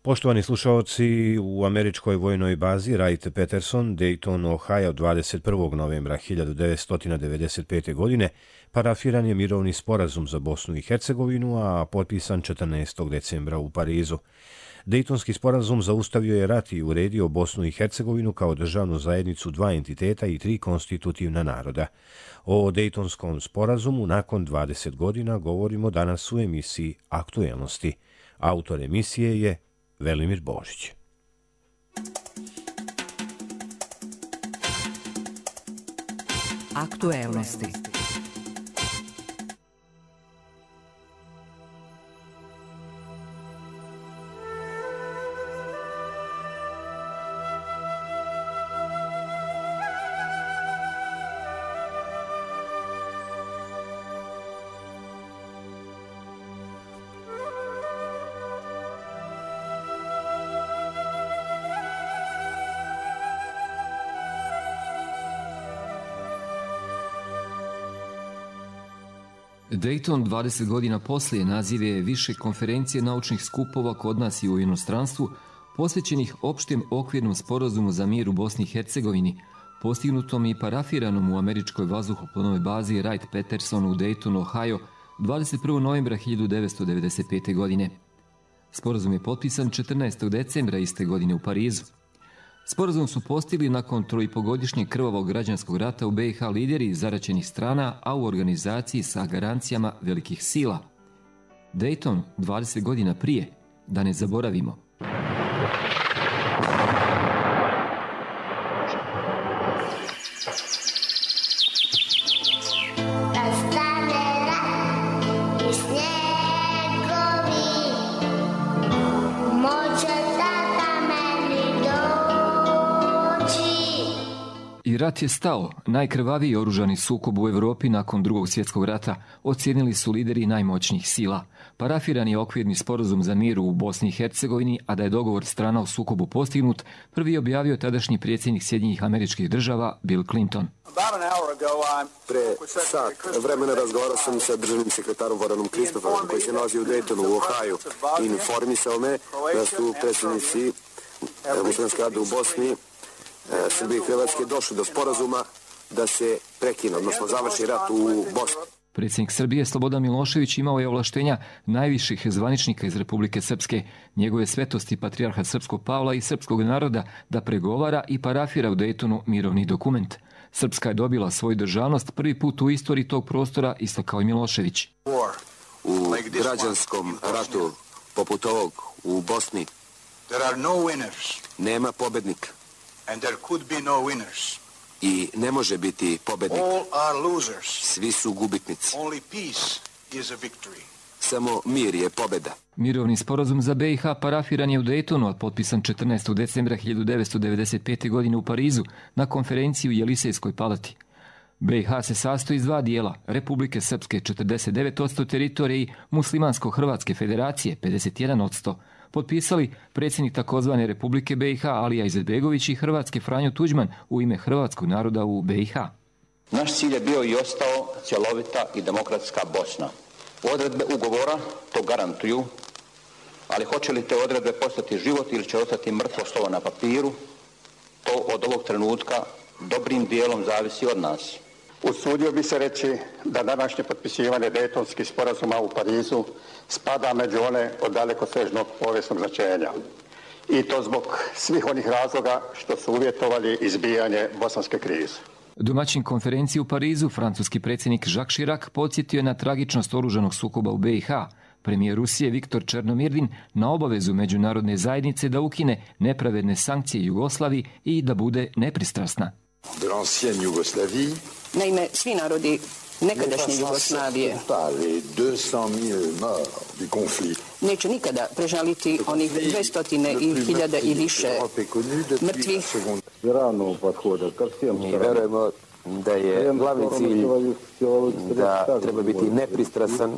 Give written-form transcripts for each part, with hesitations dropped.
Poštovani slušalci, u američkoj vojnoj bazi Wright-Patterson, Dayton, Ohio, 21. novembra 1995. godine parafiran je mirovni sporazum za Bosnu i Hercegovinu, a potpisan 14. decembra u Parizu. Dejtonski sporazum zaustavio je rat i uredio Bosnu i Hercegovinu kao državnu zajednicu dva entiteta i tri konstitutivna naroda. O Dejtonskom sporazumu nakon 20 godina govorimo danas u emisiji Aktuelnosti. Autor emisije je Velimir Božić. Aktuelnosti. Dayton 20 godina poslije naziv je više konferencije naučnih skupova kod nas i u inostranstvu posvećenih opštem okvirnom sporazumu za mir u Bosni i Hercegovini, postignutom i parafiranom u američkoj vazduhoplovnoj bazi Wright-Patterson u Daytonu, Ohio, 21. novembra 1995. godine. Sporazum je potpisan 14. decembra iste godine u Parizu. Sporazum su postigli nakon 3,5-godišnjeg krvavog građanskog rata u BiH lideri zaraćenih strana, a u organizaciji sa garancijama velikih sila. Dayton 20 godina prije, da ne zaboravimo. I rat je stao. Najkrvaviji oružani sukob u Evropi nakon Drugog svjetskog rata ocijenili su lideri najmoćnijih sila. Parafiran je okvirni sporazum za mir u Bosni i Hercegovini, a da je dogovor strana u sukobu postignut, prvi je objavio tadašnji predsjednik Sjedinjenih Američkih Država Bill Clinton. Pre sat vremena razgovarao sam sa državnim sekretarom Varanom Kristofovom, koji se nalazi u Daytonu u Ohio, i informisao me da su predsjednici muslimanske rade u Bosni, Srbije i Hrvatske došli do sporazuma da se prekine, odnosno završi rat u Bosni. Predsjednik Srbije Slobodan Milošević imao je ovlaštenja najviših zvaničnika iz Republike Srpske, njegove svetosti patrijarha Srpskog Pavla i srpskog naroda da pregovara i parafira u Daytonu mirovni dokument. Srpska je dobila svoju državnost prvi put u istoriji tog prostora, isto kao i Milošević. U građanskom ratu poput ovog u Bosni nema pobednika. And there could be no winners. I ne može biti pobednik. All are losers. Svi su gubitnici. Only peace is a victory. Samo mir je pobeda. Mirovni sporazum za BiH parafiran je u Daytonu, a potpisan 14. decembra 1995. godine u Parizu na konferenciji u Jelisejskoj palati. BiH se sastoji iz dva dijela, Republike Srpske 49% teritorije i Muslimansko-Hrvatske federacije 51%. Potpisali predsjednik takozvane Republike BiH Alija Izetbegović i Hrvatske Franjo Tuđman u ime hrvatskog naroda u BiH. Naš cilj je bio i ostao cjelovita i demokratska Bosna. Odredbe ugovora to garantuju, ali hoće li te odredbe postati život ili će ostati mrtvo slovo na papiru, to od ovog trenutka dobrim dijelom zavisi od nas. Usudio bi se reći da današnje potpisivanje Dejtonskih sporazuma u Parizu spada među one od dalekosežnog povijesnog značenja. I to zbog svih onih razloga što su uvjetovali izbijanje bosanske krize. Domaćin konferenciji u Parizu, francuski predsjednik Jacques Chirac podsjetio je na tragičnost oružanog sukoba u BiH. Premijer Rusije Viktor Černomirdin na obavezu međunarodne zajednice da ukine nepravedne sankcije Jugoslaviji i da bude nepristrasna. Naime, svi narodi nekadašnje Jugoslavije neće nikada prežaliti onih 200.000 i više mrtvih. Mi verujemo da je glavni cilj da treba biti nepristrasan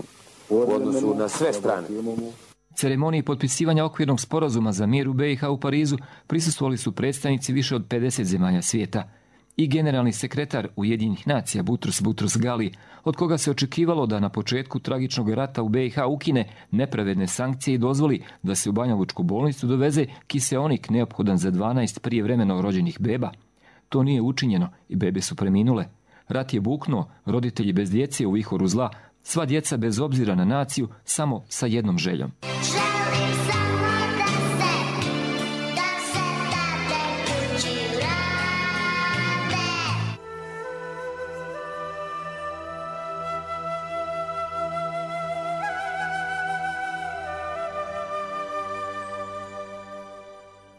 u odnosu na sve strane. Ceremoniji potpisivanja okvirnog sporazuma za mir u BiH u Parizu prisustvovali su predstavnici više od 50 zemalja svijeta. I generalni sekretar Ujedinjenih nacija Boutros Boutros-Ghali, od koga se očekivalo da na početku tragičnog rata u BiH ukine nepravedne sankcije i dozvoli da se u Banjalučku bolnicu doveze kiseonik neophodan za 12 prijevremeno rođenih beba. To nije učinjeno i bebe su preminule. Rat je buknuo, roditelji bez djece u vihoru zla, sva djeca bez obzira na naciju, samo sa jednom željom.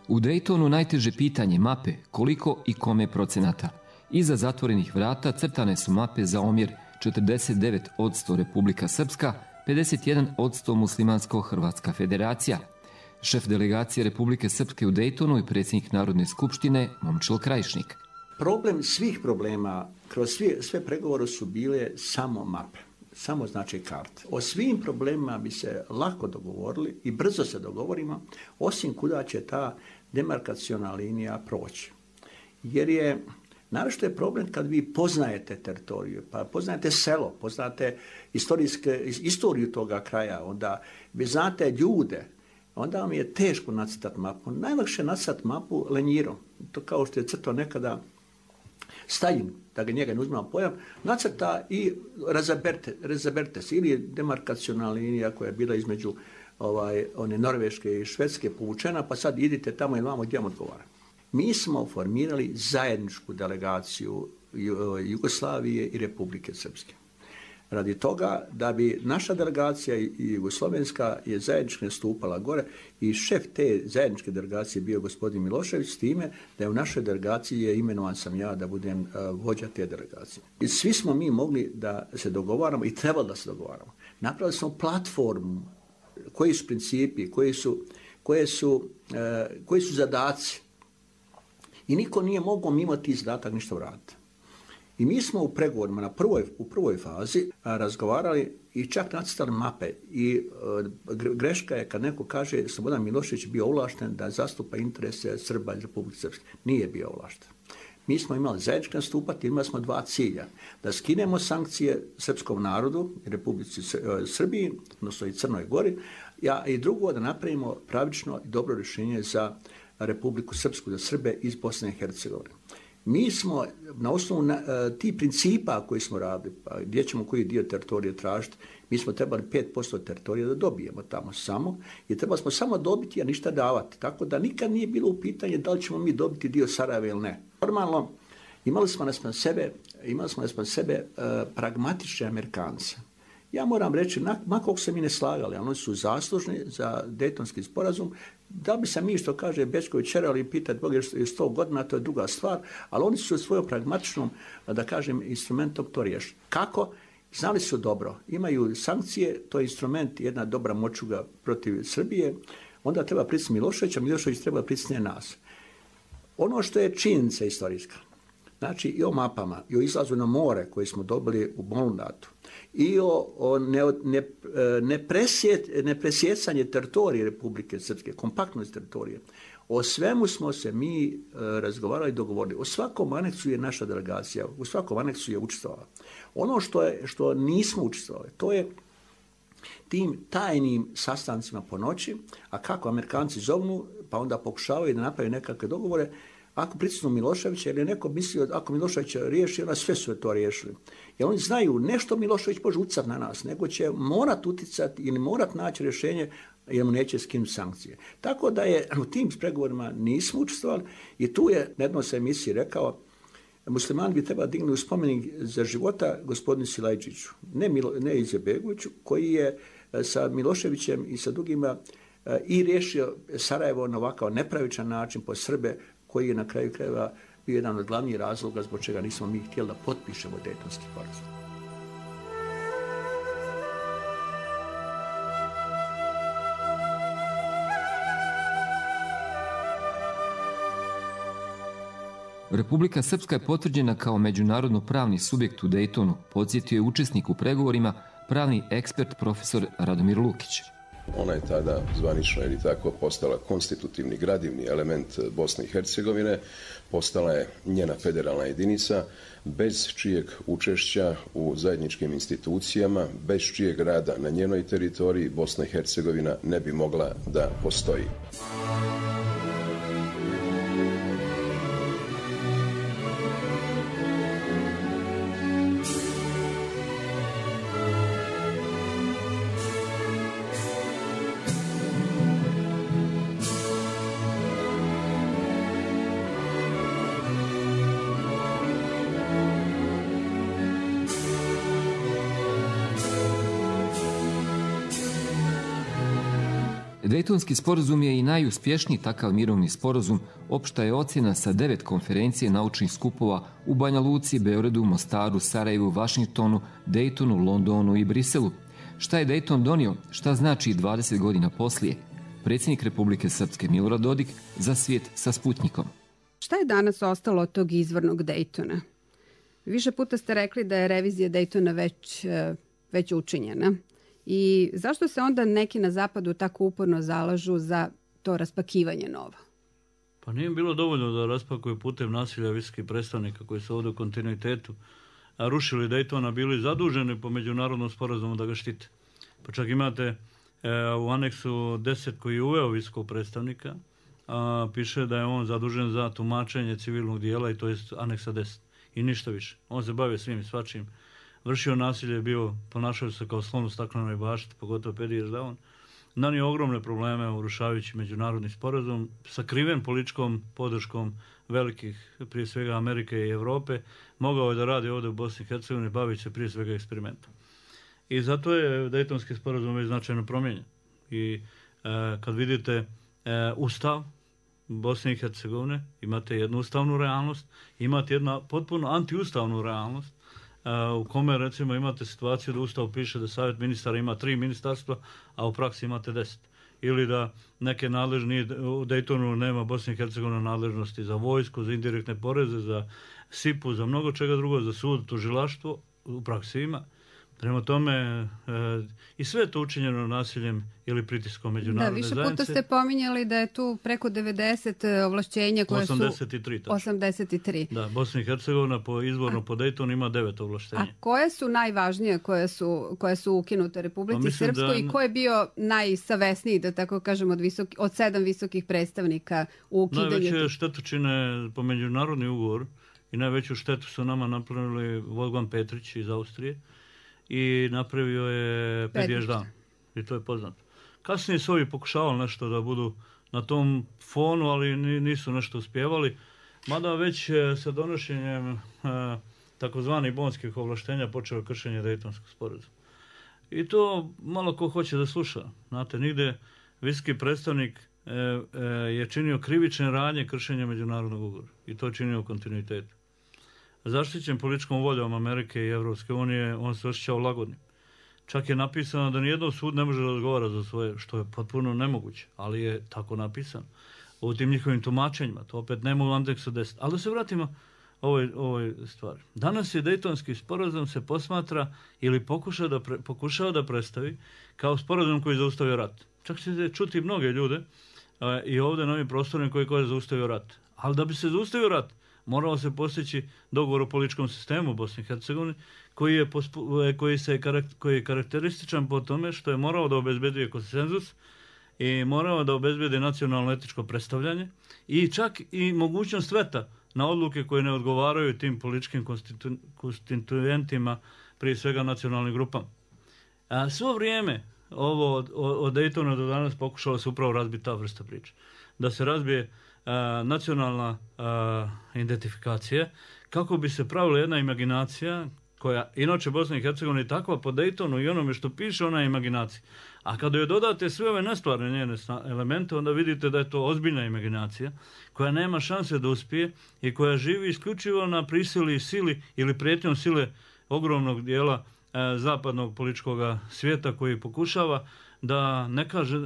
U Daytonu najteže pitanje mape koliko i kome procenata. Iza zatvorenih vrata crtane su mape za omjer 49% Republika Srpska, 51% Muslimansko-Hrvatska federacija. Šef delegacije Republike Srpske u Daytonu i predsjednik Narodne skupštine Momčilo Krajišnik. Problem svih problema kroz sve pregovore su bile samo mape. Samo znači karte. O svim problemima bi se lako dogovorili i brzo se dogovorimo, osim kuda će ta demarkaciona linija proći. Jer je, naravno je problem kad vi poznajete teritoriju, pa poznajete selo, poznate istoriju toga kraja, onda vi znate ljude, onda vam je teško nacrtati mapu. Najlakše nacrtati mapu lenjirom. To kao što je crtao nekada Stalin, da ga njega ne uzmemo pojam, nacrta i razaberte se, ili demarkaciona linija koja je bila između one Norveške i Švedske povučena, pa sad idite tamo i vamo gdje vam odgovara. Mi smo formirali zajedničku delegaciju Jugoslavije i Republike Srpske. Radi toga da bi naša delegacija i jugoslovenska je zajednički nastupala gore i šef te zajedničke delegacije bio gospodin Milošević, s time da je u našoj delegaciji imenovan sam ja da budem vođa te delegacije. I svi smo mi mogli da se dogovaramo i trebalo da se dogovaramo. Napravili smo platformu, koji su principi, koji su zadaci. I niko nije mogao mimo tih zadatak ništa uraditi. I mi smo u pregovorima u prvoj fazi razgovarali i čak nacrtali mape. I greška je kad neko kaže Slobodan Milošević bio ovlašten da zastupa interese Srba i Republike Srpske. Nije bio ovlašten. Mi smo imali zajednički nastupati, imali smo dva cilja. Da skinemo sankcije srpskom narodu, Republici Srbiji, odnosno i Crnoj Gori, i drugo da napravimo pravično i dobro rješenje za Republiku Srpsku, za Srbe iz Bosne i Hercegovine. Mi smo na osnovu tih principa koji smo radili, pa gdje ćemo koji dio teritorije tražiti, mi smo trebali 5% teritorije da dobijemo tamo samo i trebali smo samo dobiti, a ništa davati. Tako da nikad nije bilo u pitanje da li ćemo mi dobiti dio Sarajeva ili ne. Normalno, imali smo naspram sebe pragmatične Amerikance. Ja moram reći, makog se mi ne slagali, ali oni su zaslužni za Dejtonski sporazum, da bi se mi, što kaže Bečković, čerali i pitati Bog je 100 godina, to je druga stvar, ali oni su svojom pragmatičnom, da kažem, instrumentom to riješili. Kako? Znali su dobro. Imaju sankcije, to je instrument, jedna dobra močuga protiv Srbije, onda treba pritisniti Miloševića, Milošević treba pritisniti nas. Ono što je činjenica istorijska, znači i o mapama, i o izlazu na more koje smo dobili u Molundatu, i o nepresjecanje teritorije Republike Srpske, kompaktnost teritorije. O svemu smo se mi razgovarali i dogovorili. O svakom aneksu je naša delegacija, u svakom aneksu je učestvovala. Ono što nismo učestvovali, to je tim tajnim sastancima po noći, a kako Amerikanci zovnu, pa onda pokušavaju da naprave nekakve dogovore, ako pritisnu Miloševića, jer je neko mislio ako Milošević riješi, onda sve su to riješili. Jer oni znaju, nešto Milošević može utjecati na nas, nego će morat utjecati ili morat naći rješenje jer mu neće skinuti sankcije. Tako da je u tim pregovorima nismo učestvovali i tu je na jednoj emisiji rekao muslimani bi trebali dignuti spomenik za života gospodinu Silajđiću, ne Izetbegoviću, koji je sa Miloševićem i sa drugima i riješio Sarajevo na ovakav nepravičan način po Srbe, koji je na kraju krajeva bio jedan od glavnih razloga zbog čega nismo mi htjeli da potpišemo Dejtonski sporazum. Republika Srpska je potvrđena kao međunarodno pravni subjekt u Dejtonu, podsjetio je učesnik u pregovorima, pravni ekspert profesor Radomir Lukić. Ona je tada zvanično ili tako postala konstitutivni gradivni element Bosne i Hercegovine, postala je njena federalna jedinica, bez čijeg učešća u zajedničkim institucijama, bez čijeg rada na njenoj teritoriji Bosna i Hercegovina ne bi mogla da postoji. Dejtonski sporazum je i najuspješniji takav mirovni sporazum. Opšta je ocjena sa 9 konferencije naučnih skupova u Banja Luci, Beogradu, Mostaru, Sarajevu, Vašingtonu, Dejtonu, Londonu i Briselu. Šta je Dejton donio? Šta znači 20 godina poslije? Predsjednik Republike Srpske Milorad Dodik za svijet sa Sputnjikom. Šta je danas ostalo od tog izvornog Dejtona? Više puta ste rekli da je revizija Dejtona već učinjena. I zašto se onda neki na zapadu tako uporno zalažu za to raspakivanje nova? Pa nije bilo dovoljno da raspakuju putem nasilja visokih predstavnika koji su ovdje u kontinuitetu rušili Dejtona, bili zaduženi po međunarodnom sporazumu da ga štite. Pa čak imate u aneksu 10 koji je uveo visokog predstavnika, piše da je on zadužen za tumačenje civilnog dijela i to je aneksa 10 i ništa više. On se bavio svim i svačim. Vršio nasilje, ponašao se kao slon u staklenoj bašti, pogotovo Pedi Ježdavon. Nanio ogromne probleme urušavajući međunarodni sporazum, sakriven političkom podrškom velikih, prije svega Amerike i Evrope, mogao je da radi ovdje u Bosni i Hercegovini, bavići se prije svega eksperimentom. I zato je Dejtonski sporazum već značajno promijenjen. I kad vidite Ustav Bosne i Hercegovine, imate jednu ustavnu realnost, imate jednu potpuno antiustavnu realnost, u kome recimo imate situaciju da Ustav piše da Savjet ministara ima 3 ministarstva, a u praksi imate 10. Ili da neke nadležni u Dejtonu nema Bosne i Hercegovine nadležnosti za vojsku, za indirektne poreze, za SIP-u, za mnogo čega drugo, za sud, tužilaštvo, u praksi ima. Prema tome, i sve je to učinjeno nasiljem ili pritiskom međunarodne zajednice. Da, više puta ste pominjali da je tu preko 90 ovlašćenja koje 83, su... 83. Da, Bosna i Hercegovina izvorno po Dejtonu ima 9 ovlaštenja. A koje su najvažnije koje su ukinute Republici Srpskoj i ko je bio najsavesniji, da tako kažem, od 7 visokih predstavnika u ukidanju? Najveće štetočine po međunarodni ugovor i najveću štetu su nama napravili Wolfgang Petrić iz Austrije i napravio je Pedi Ježdavon. I to je poznato. Kasnije su ovi pokušavali nešto da budu na tom fonu, ali nisu nešto uspjevali. Mada već sa donošenjem takozvanih bonskih ovlaštenja počeo kršenje Dejtonskog sporazuma. I to malo ko hoće da sluša. Znate, nigde visoki predstavnik je činio krivične radnje kršenja međunarodnog ugovora. I to je činio u kontinuitetu. Zaštićen političkom voljom Amerike i Evropske unije, on se osjećao lagodnim. Čak je napisano da nijedno sud ne može da odgovara za svoje, što je potpuno nemoguće, ali je tako napisano. U tim njihovim tumačenjima, to opet nema u andeksu 10. Ali da se vratimo ovoj stvari. Danas je Dejtonski sporazum se posmatra ili pokušava da predstavi kao sporazum koji je zaustavio rat. Čak ćete čuti mnoge ljude i ovdje na ovim prostorima koji je zaustavio rat. Ali da bi se zaustavio rat, moralo se postići dogovor o političkom sistemu u Bosni i Hercegovini, koji je karakterističan po tome što je morao da obezbedi konsenzus i morao da obezbedi nacionalno etičko predstavljanje i čak i mogućnost veta na odluke koje ne odgovaraju tim političkim konstituentima, prije svega nacionalnim grupama. A svo vrijeme ovo od Dejtona do danas pokušalo se upravo razbiti ta vrsta priče. Da se razbije nacionalna identifikacija, kako bi se pravila jedna imaginacija, koja inače Bosna i Hercegovina je takva po Dejtonu i onome što piše, ona je imaginacija. A kada joj dodate sve ove nestvarne njene elemente, onda vidite da je to ozbiljna imaginacija, koja nema šanse da uspije i koja živi isključivo na prisili sili ili prijetnjom sile ogromnog dijela zapadnog političkog svijeta, koji pokušava da ne kaže,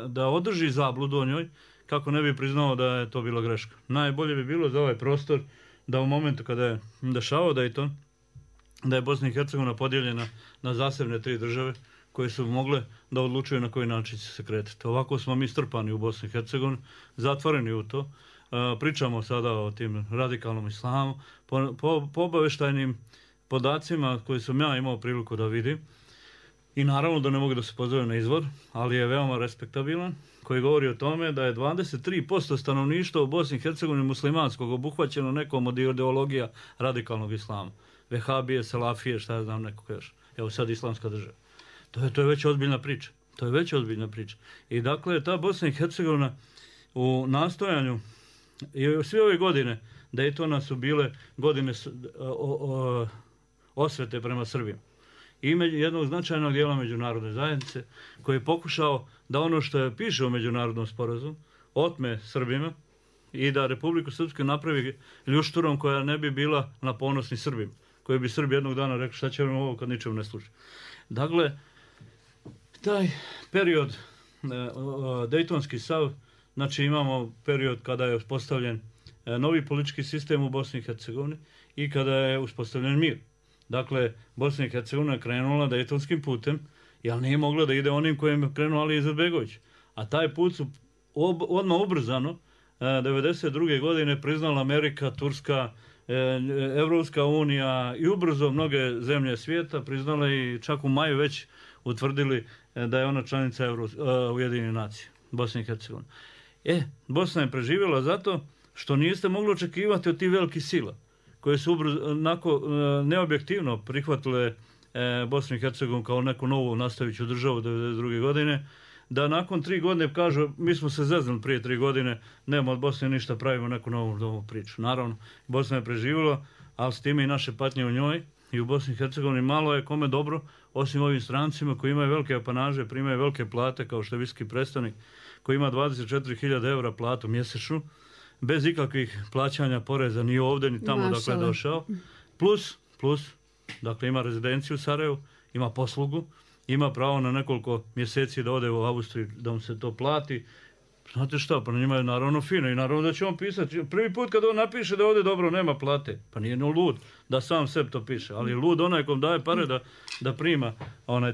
da održi zabludu o njoj, kako ne bi priznao da je to bila greška. Najbolje bi bilo za ovaj prostor da u momentu kada je dešavao Dejton, da je Bosna i Hercegovina podijeljena na zasebne 3 države, koje su mogle da odlučuju na koji način će se kretati. Ovako smo mi strpani u Bosni i Hercegovini, zatvoreni u to. Pričamo sada o tim radikalnom islamu. Po obaveštajnim podacima koje sam ja imao priliku da vidim, i naravno da ne mogu da se pozove na izvor, ali je veoma respektabilan, koji govori o tome da je 23% stanovništva u Bosni i Hercegovini muslimanskog obuhvaćeno nekom od ideologija radikalnog islama. Vehabije, Salafije, šta ja znam, nekog još. Evo sad islamska država. To je već ozbiljna priča. To je već ozbiljna priča. I dakle, ta Bosna i Hercegovina u nastojanju, i sve ove godine Daytona su bile godine osvete prema Srbima. I jednog značajnog dijela međunarodne zajednice koji je pokušao da ono što je piše u međunarodnom sporazumu otme Srbima i da Republiku Srpsku napravi ljušturom koja ne bi bila na ponosni Srbima, koji bi Srbi jednog dana rekli šta će vam ovo kad ničemu ne služi. Dakle, taj period Dejtonski sav, znači imamo period kada je uspostavljen novi politički sistem u Bosni i Hercegovini i kada je uspostavljen mir. Dakle, Bosna i Hercegovina je krenula Dejtonskim putem, jer nije mogla da ide onim kojim je krenuo Ali Izetbegović. A taj put su odmah ubrzano 1992. godine priznala Amerika, Turska, Evropska unija i ubrzo mnoge zemlje svijeta priznale i čak u maju već utvrdili da je ona članica Ujedinjenih nacija, Bosna i Hercegovina. Bosna je preživjela zato što niste mogli očekivati od tih velikih sila koje su neobjektivno prihvatile Bosnu i Hercegovinu kao neku novu nastaviću državu 1992. godine, da nakon 3 godine kažu mi smo se zeznuli prije 3 godine, nema od Bosne ništa, pravimo neku novu priču. Naravno, Bosna je preživjela, ali s time i naše patnje u njoj i u Bosni i Hercegovini malo je kome dobro, osim ovim strancima koji imaju velike apanaže, primaju velike plate kao što je visoki predstavnik koji ima 24.000 eura platu mjesečnu, bez ikakvih plaćanja poreza ni ovdje ni tamo dakle je došao. Plus, dakle ima rezidenciju u Sarajevu, ima poslugu, ima pravo na nekoliko mjeseci da ode u Austriju da mu se to plati. Znate šta, pa na njima je naravno fino i naravno da će on pisati. Prvi put kad on napiše da ovdje dobro nema plate, pa nije no lud da sam sebi to piše, ali je lud onaj kom daje pare da prima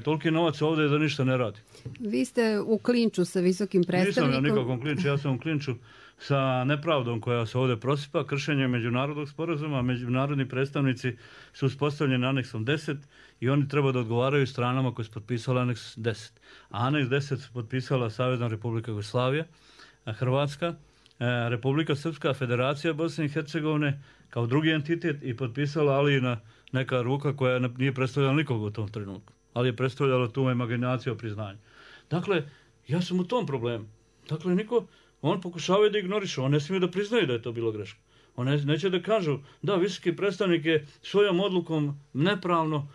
toliki novac ovdje da ništa ne radi. Vi ste u klinču sa visokim predstavnikom. Nisam ja nikakvom klinču, ja sam u klinču sa nepravdom koja se ovdje prosipa, kršenjem međunarodnog sporazuma. Međunarodni predstavnici su uspostavljeni aneksom 10 i oni treba da odgovaraju stranama koje su potpisale aneks 10. A aneks 10 su potpisala Savezna Republika Jugoslavija, Hrvatska, Republika Srpska, Federacija Bosne i Hercegovine kao drugi entitet i potpisala Alijina neka ruka koja nije predstavljala nikog u tom trenutku, ali je predstavljala tu imaginaciju o priznanju. Dakle, ja sam u tom problemu. Dakle, on pokušava da ignoriše, on ne smije da priznaju da je to bilo greška. On neće da kažu, da, visoki predstavnik je svojom odlukom nepravno,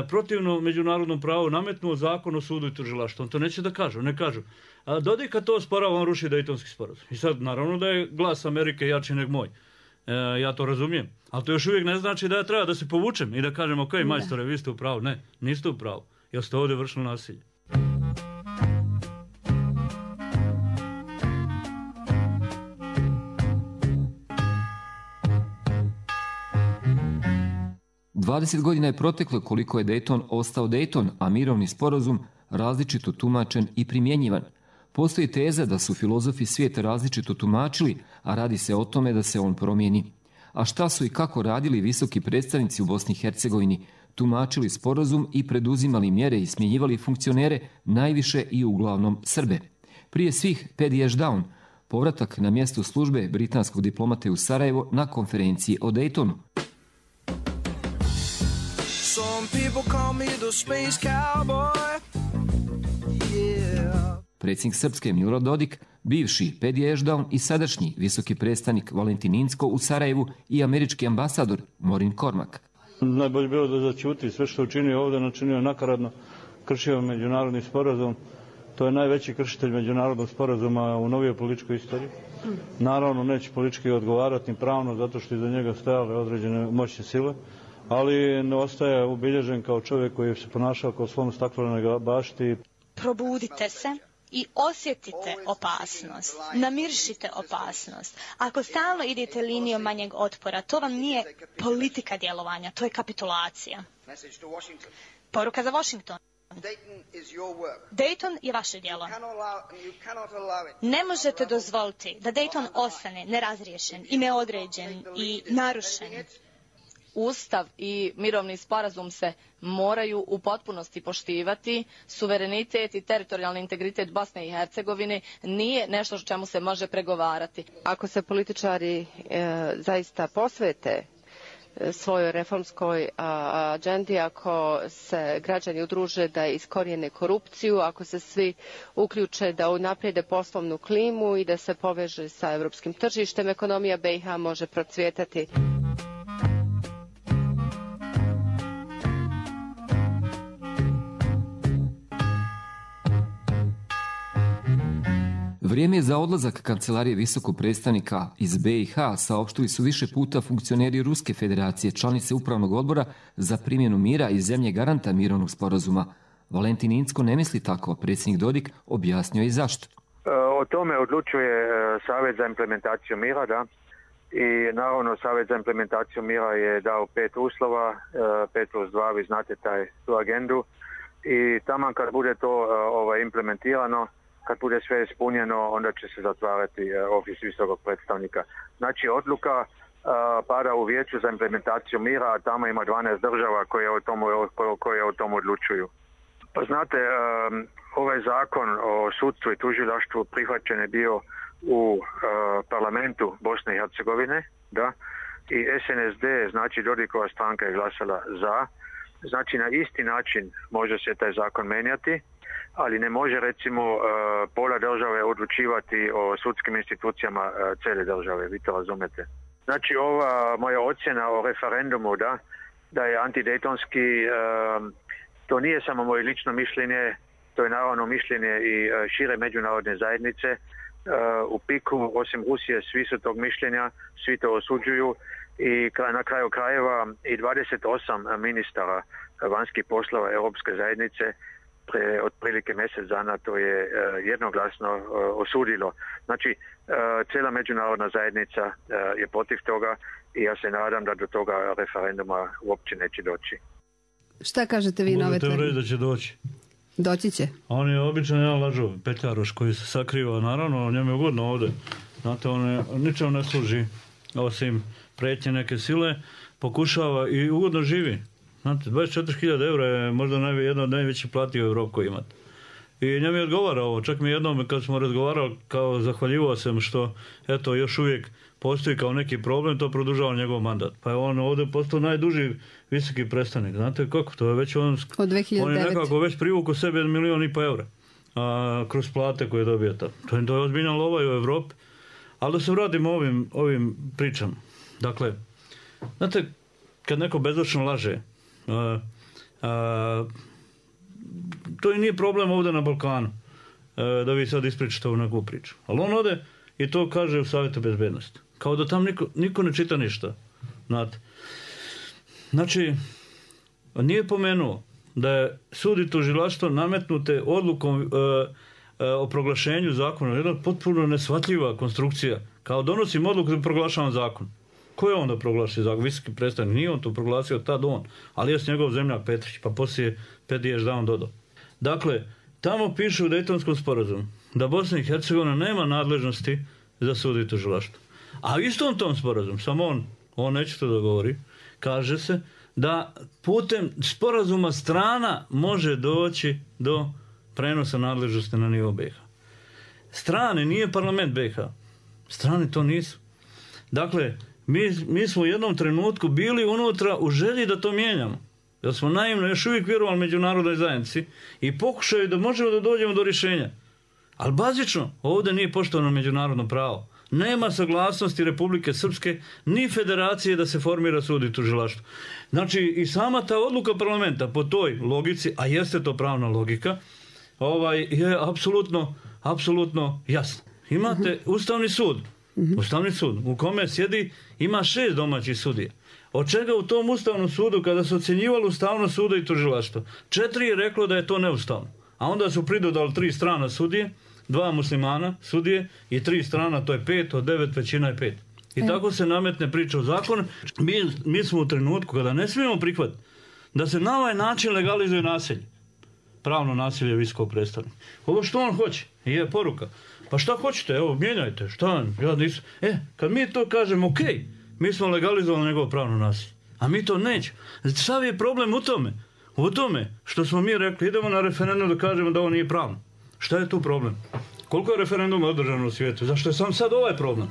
protivno međunarodnom pravu nametnuo zakon o sudu i tužilaštvu. On to neće da kažu, ne kažu. A Dodika to osporava, on ruši Dejtonski sporazum. I sad, naravno da je glas Amerike jači nego moj. Ja to razumijem. Ali to još uvijek ne znači da ja treba da se povučem i da kažem, ok, majstore, vi ste u pravu. Ne, niste u pravu. Jer ste ovdje vršili nasilje. Dvadeset godina je proteklo koliko je Dayton ostao Dayton, a mirovni sporazum različito tumačen i primjenjivan. Postoji teza da su filozofi svijeta različito tumačili, a radi se o tome da se on promijeni. A šta su i kako radili visoki predstavnici u Bosni i Hercegovini? Tumačili sporazum i preduzimali mjere i smjenjivali funkcionere, najviše i uglavnom Srbe. Prije svih Paddy Ashdown, povratak na mjesto službe britanskog diplomate u Sarajevo na konferenciji o Daytonu. Predsjednik Srpske Milorad Dodik, bivši Paddy Ashdown i sadašnji visoki predstavnik Valentin Inzko u Sarajevu i američki ambasador Maureen Cormack. Najbolje bilo da začuti sve što učinio ovdje, načinio nakaradno, kršio međunarodni sporazum. To je najveći kršitelj međunarodnog sporazuma u novijoj političkoj istoriji. Naravno neće politički odgovarati ni pravno zato što iza njega stajale određene moćne sile, ali ne ostaje ubilježen kao čovjek koji se ponašao kao slon staklenoj bašti. Probudite se i osjetite opasnost, namiršite opasnost. Ako stalno idete linijom manjeg otpora, to vam nije politika djelovanja, to je kapitulacija. Poruka za Washington. Dayton je vaše djelo. Ne možete dozvoliti da Dayton ostane nerazriješen i neodređen i narušen. Ustav i mirovni sporazum se moraju u potpunosti poštivati. Suverenitet i teritorijalni integritet Bosne i Hercegovine nije nešto o čemu se može pregovarati. Ako se političari zaista posvete svojoj reformskoj agendi, ako se građani udruže da iskorijene korupciju, ako se svi uključe da unaprijede poslovnu klimu i da se poveže sa evropskim tržištem, ekonomija BiH može procvjetati. Vrijeme je za odlazak kancelarije visokog predstavnika iz BiH, saopštili su više puta funkcioneri Ruske federacije, članice upravnog odbora za primjenu mira i zemlje garanta mirovnog sporazuma. Valentin Incko ne misli tako, a predsjednik Dodik objasnio i zašto. O tome odlučuje Savjet za implementaciju mira, da. I naravno Savjet za implementaciju mira je dao 5 uslova, 5+2, vi znate tu agendu. I taman kad bude to implementirano, kad bude sve ispunjeno, onda će se zatvarati ofis visokog predstavnika. Znači, odluka pada u Vijeću za implementaciju mira, a tamo ima 12 država koje o tom odlučuju. Pa znate, ovaj zakon o sudstvu i tužilaštvu prihvaćen je bio u parlamentu Bosne i Hercegovine, da, i SNSD, znači Dodikova stranka, je glasala za. Znači, na isti način može se taj zakon menjati, ali ne može recimo pola države odlučivati o sudskim institucijama cijele države, vi to razumete. Znači ova moja ocjena o referendumu da je antidejtonski, to nije samo moje lično mišljenje, to je naravno mišljenje i šire međunarodne zajednice. U piku, osim Rusije, svi su tog mišljenja, svi to osuđuju i na kraju krajeva i 28 ministara vanjskih poslova Europske zajednice pre otprilike mjesec dana to je jednoglasno osudilo. Znači, cijela međunarodna zajednica je protiv toga i ja se nadam da do toga referenduma uopće neće doći. Šta kažete vi na ove tvrdnje? Možete reći da će doći. Doći će. On je običan jedan lažov, petljaroš koji se sakriva, naravno, njemu je ugodno ovdje. Znate, on ničemu ne služi, osim prijetnje neke sile, pokušava i ugodno živi. Znate, 24.000 eura je možda jedna od najvećih plati u Evropi koji imate. I njemu je odgovara ovo, čak mi jednom kad smo razgovarali, kao zahvaljivao sam što, eto, još uvijek postoji kao neki problem, to produžava njegov mandat. Pa je on ovdje postao najduži visoki predstavnik. Znate kako, to je već on je nekako već privukao sebe 1,5 miliona eura kroz plate koje dobije tamo. To je ozbiljna lova i u Evropi. Ali da se vratimo ovim pričama. Dakle, znate, kad neko bezočno laže, to i nije problem ovdje na Balkanu, da vi sad ispričate ovu neku priču. Ali on ode i to kaže u Savjetu bezbednosti. Kao da tam niko ne čita ništa. Znate. Znači, nije pomenuo da je sud i tužilaštvo nametnute odlukom o proglašenju zakona. Jedna potpuno neshvatljiva konstrukcija. Kao donosim odluku da proglašavam zakon. Ko je onda proglasio zakon? Visoki predstavnik. Nije on to proglasio tad on. Ali je s njegov zemljak Petrić. Pa poslije Pediješ da on dodao. Dakle, tamo piše u Dejtonskom sporazumu da Bosna i Hercegovina nema nadležnosti za sud i tužilaštvo. A istom tom sporazumu, samo on neće to da govori, kaže se da putem sporazuma strana može doći do prenosa nadležnosti na nivo BiH. Strane, nije parlament BiH. Strane to nisu. Dakle, mi smo u jednom trenutku bili unutra u želji da to mijenjamo. Jer smo naivno još uvijek vjerovali međunarodnoj zajednici i pokušaju da možemo da dođemo do rješenja. Ali bazično, ovdje nije poštovano međunarodno pravo. Nema saglasnosti Republike Srpske ni federacije da se formira sud i tužilaštvo. Znači, i sama ta odluka parlamenta po toj logici, a jeste to pravna logika, je apsolutno jasna. Imate Ustavni sud u kome sjedi, ima 6 domaćih sudija. Od čega u tom Ustavnom sudu, kada su ocjenjivali ustavnost suda i tužilaštva, 4 je reklo da je to neustavno. A onda su pridodali 3 strana sudije, 2 muslimana sudije i 3 strana, to je 5, od 9 većina je 5. I tako se nametne priča o zakonu. Mi smo u trenutku kada ne smijemo prihvatiti da se na ovaj način legalizuje naselje. pravno nasilje visokog predstavnika. Ovo što on hoće, je poruka. Pa šta hoćete, evo, mijenjajte, šta, ja nisam. Kad mi to kažemo, okej, mi smo legalizovali njegovo pravno nasilje, a mi to nećemo. Sav je problem u tome. U tome što smo mi rekli, idemo na referendum da kažemo da ovo nije pravno. Šta je tu problem? Koliko je referenduma održano u svijetu? Zašto je sam sad ovaj problem?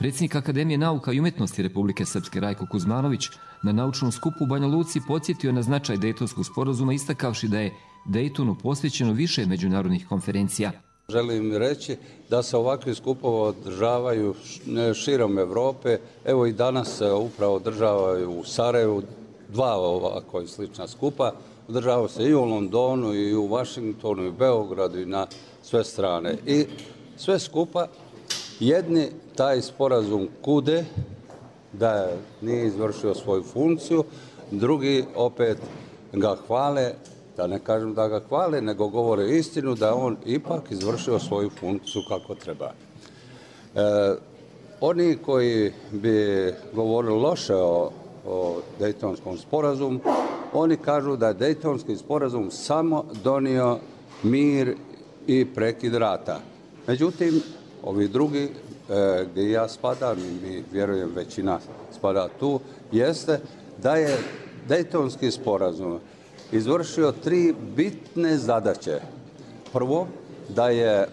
Predsjednik Akademije nauka i umjetnosti Republike Srpske Rajko Kuzmanović na naučnom skupu u Banja Luci podsjetio na značaj Dejtonskog sporazuma istakavši da je Dejtonu posvećeno više međunarodnih konferencija. Želim reći da se ovakvi skupovi održavaju širom Evrope. Evo i danas se upravo održavaju u Sarajevu 2 ovako slična skupa. Održava se i u Londonu, i u Vašingtonu, i u Beogradu, i na sve strane. I sve skupa jedni taj sporazum kude da nije izvršio svoju funkciju, drugi opet ga hvale, da ne kažem da ga hvale, nego govore istinu da on ipak izvršio svoju funkciju kako treba. Oni koji bi govorili loše o Dejtonskom sporazumu, oni kažu da je Dejtonski sporazum samo donio mir i prekid rata. Međutim, ovi drugi, gdje ja spadam i mi vjerujem većina spada tu, jeste da je Dejtonski sporazum izvršio 3 bitne zadaće. Prvo, da je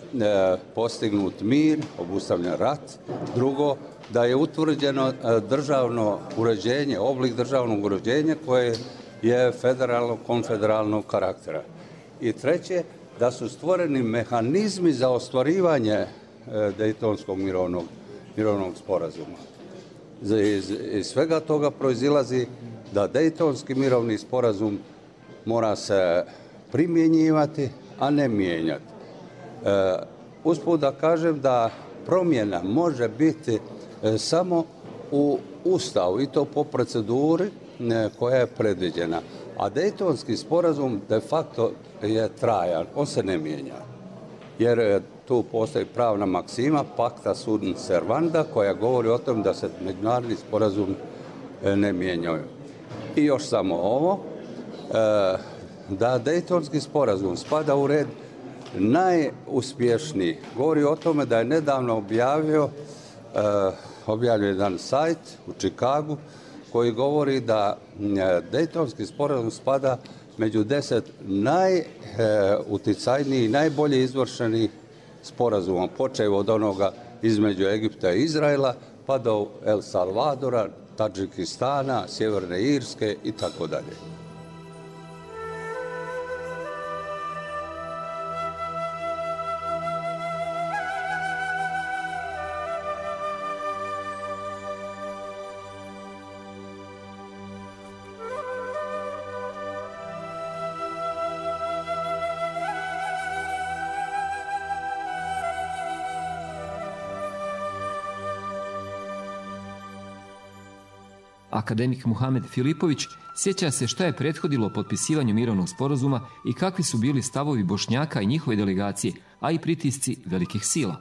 postignut mir, obustavljen rat. Drugo, da je utvrđeno državno uređenje, oblik državnog uređenja koje je federalno-konfederalnog karaktera. I treće, da su stvoreni mehanizmi za ostvarivanje Dejtonskog mirovnog sporazuma. Iz svega toga proizilazi da Dejtonski mirovni sporazum mora se primjenjivati, a ne mijenjati. Usput da kažem da promjena može biti samo u Ustavu i to po proceduri koja je predviđena. A Dejtonski sporazum de facto je trajan, on se ne mijenja. Jer tu postoji pravna maksima, pacta sunt servanda, koja govori o tom da se međunarodni sporazum ne mijenjaju. I još samo ovo, da Dejtonski sporazum spada u red najuspješniji. Govori o tome da je nedavno objavio jedan sajt u Čikagu koji govori da Dejtonski sporazum spada među 10 najuticajnijih i najbolje izvršenih sporazuma, počev od onoga između Egipta i Izraela, pa do El Salvadora, Tadžikistana, Sjeverne Irske i tako dalje. Akademik Muhamed Filipović sjeća se šta je prethodilo potpisivanju mirovnog sporazuma i kakvi su bili stavovi Bošnjaka i njihove delegacije, a i pritisci velikih sila.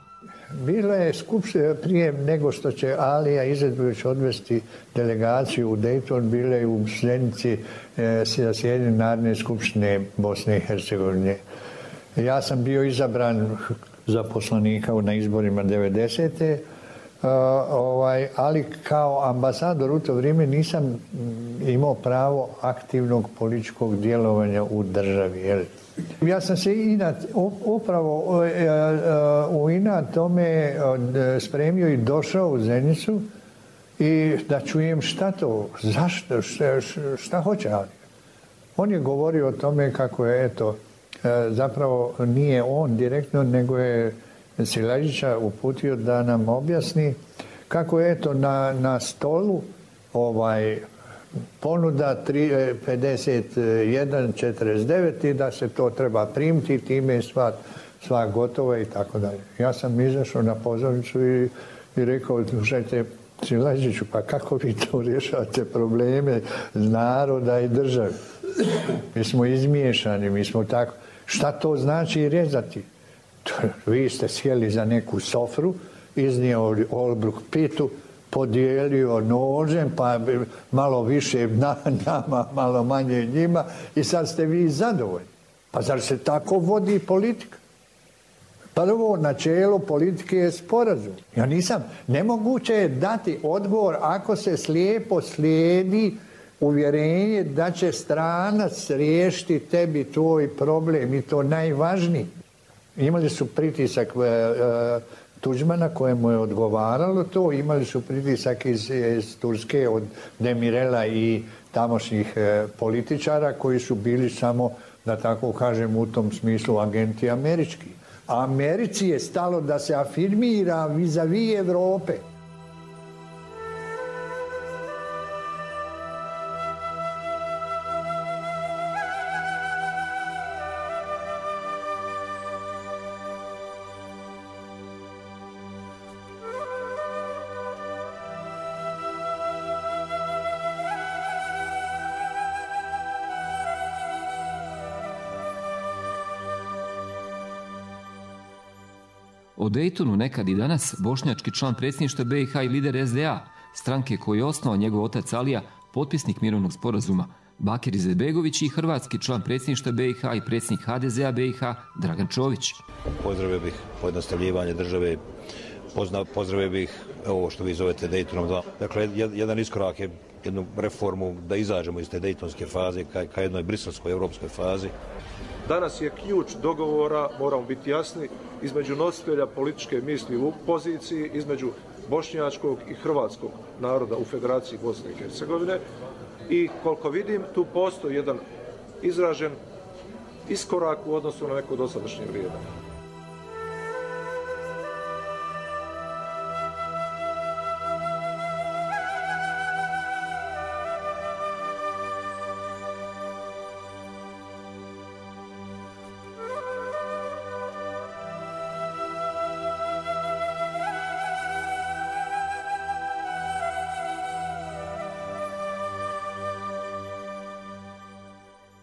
Bila je skupština prije nego što će Alija Izetbegović odvesti delegaciju u Dejton, bila je u Zenici zasjedanje Narodne skupštine Bosne i Hercegovine. Ja sam bio izabran za poslanika na izborima 90. Ali kao ambasador u to vrijeme nisam imao pravo aktivnog političkog djelovanja u državi. Ja sam se upravo u inat tome spremio i došao u Zenicu i da čujem šta to, zašto, šta hoće Ali. On je govorio o tome kako je, zapravo nije on direktno, nego je Silajića uputio da nam objasni kako je na stolu ponuda 51.49 i da se to treba primiti, time je sva gotova i tako dalje. Ja sam izašao na pozornicu i rekao, slušajte, Silaziću, pa kako vi to rješavate probleme naroda i države? Mi smo izmiješani, mi smo tako. Šta to znači rezati? Vi ste sjeli za neku sofru, iznio olbruk pitu, podijelio nožem, pa malo više nama, malo manje njima i sad ste vi zadovoljni. Pa zar se tako vodi politika? Prvo načelo politike je sporazum. Ja nisam, nemoguće je dati odgovor ako se slijepo slijedi uvjerenje da će stranac riješiti tebi tvoj problem i to najvažniji. Imali su pritisak Tuđmana kojemu je odgovaralo to, imali su pritisak iz Turske od Demirela i tamošnjih političara koji su bili samo, da tako kažem, u tom smislu agenti američki. A Americi je stalo da se afirmira vis-a-vis Evrope. O Dejtonu nekad i danas bošnjački član predsjedništva BiH i lider SDA, stranke koju je osnovao njegov otac Alija, potpisnik mirovnog sporazuma, Bakir Izetbegović i hrvatski član predsjedništva BiH i predsjednik HDZ-a BiH Dragan Čović. Pozdravio bih pojednostavljivanje države, pozdravio bih ovo što vi zovete Dejtonom 2. Dakle, jedan iskorak je jednu reformu da izađemo iz te dejtonske faze ka jednoj briselskoj evropskoj fazi. Danas je ključ dogovora, moramo biti jasni, između nositelja političke misli u poziciji, između bošnjačkog i hrvatskog naroda u Federaciji Bosne i Hercegovine. I koliko vidim, tu postoji jedan izražen iskorak u odnosu na neko dosadašnje vrijeme.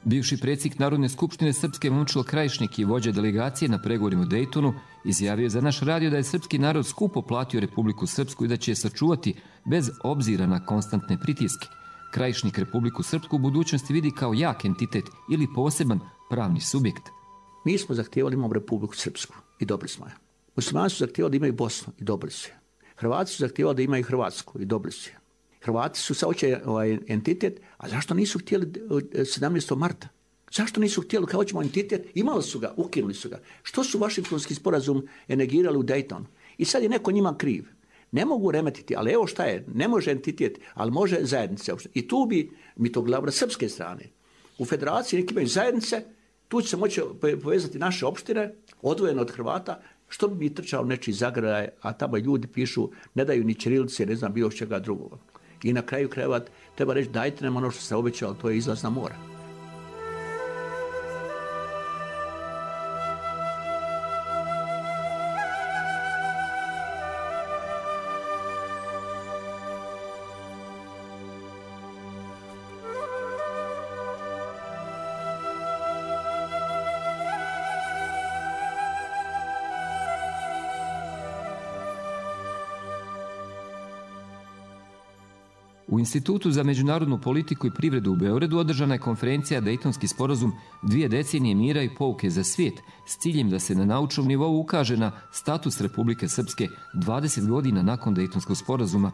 Bivši predsjednik Narodne skupštine Srpske Momčilo Krajišnik i vođa delegacije na pregovorima u Dejtonu izjavio za naš radio da je srpski narod skupo platio Republiku Srpsku i da će je sačuvati bez obzira na konstantne pritiske. Krajišnik Republiku Srpsku u budućnosti vidi kao jak entitet ili poseban pravni subjekt. Mi smo zahtijevali imamo Republiku Srpsku i dobili smo je. Muslimani su zahtijevali da imaju Bosnu i dobili su je. Hrvati su zahtijevali da imaju Hrvatsku i dobili su je. Hrvati su saoće entitet, a zašto nisu htjeli 17. marta? Zašto nisu htjeli kao ćemo entitet? Imali su ga, ukinuli su ga. Što su Vašingtonski sporazum negirali u Dejtonu? I sad je neko njima kriv. Ne mogu remetiti, ali evo šta je, ne može entitet, ali može zajednice. I tu bi, mi to gledamo na srpske strane. U federaciji neki imaju zajednice, tu će se moći povezati naše opštine, odvojene od Hrvata, što bi mi trčao nečiji zagraj, a tamo ljudi pišu, ne daju ni ćirilice, ne znam bilo čega drugog. I na kraju krajeva treba reći dajte nam ono što se obećalo, to je izlaz na more. U Institutu za međunarodnu politiku i privredu u Beogradu održana je konferencija Dejtonski sporazum 2 decenije mira i pouke za svijet s ciljem da se na naučnom nivou ukaže na status Republike Srpske 20 godina nakon Dejtonskog sporazuma.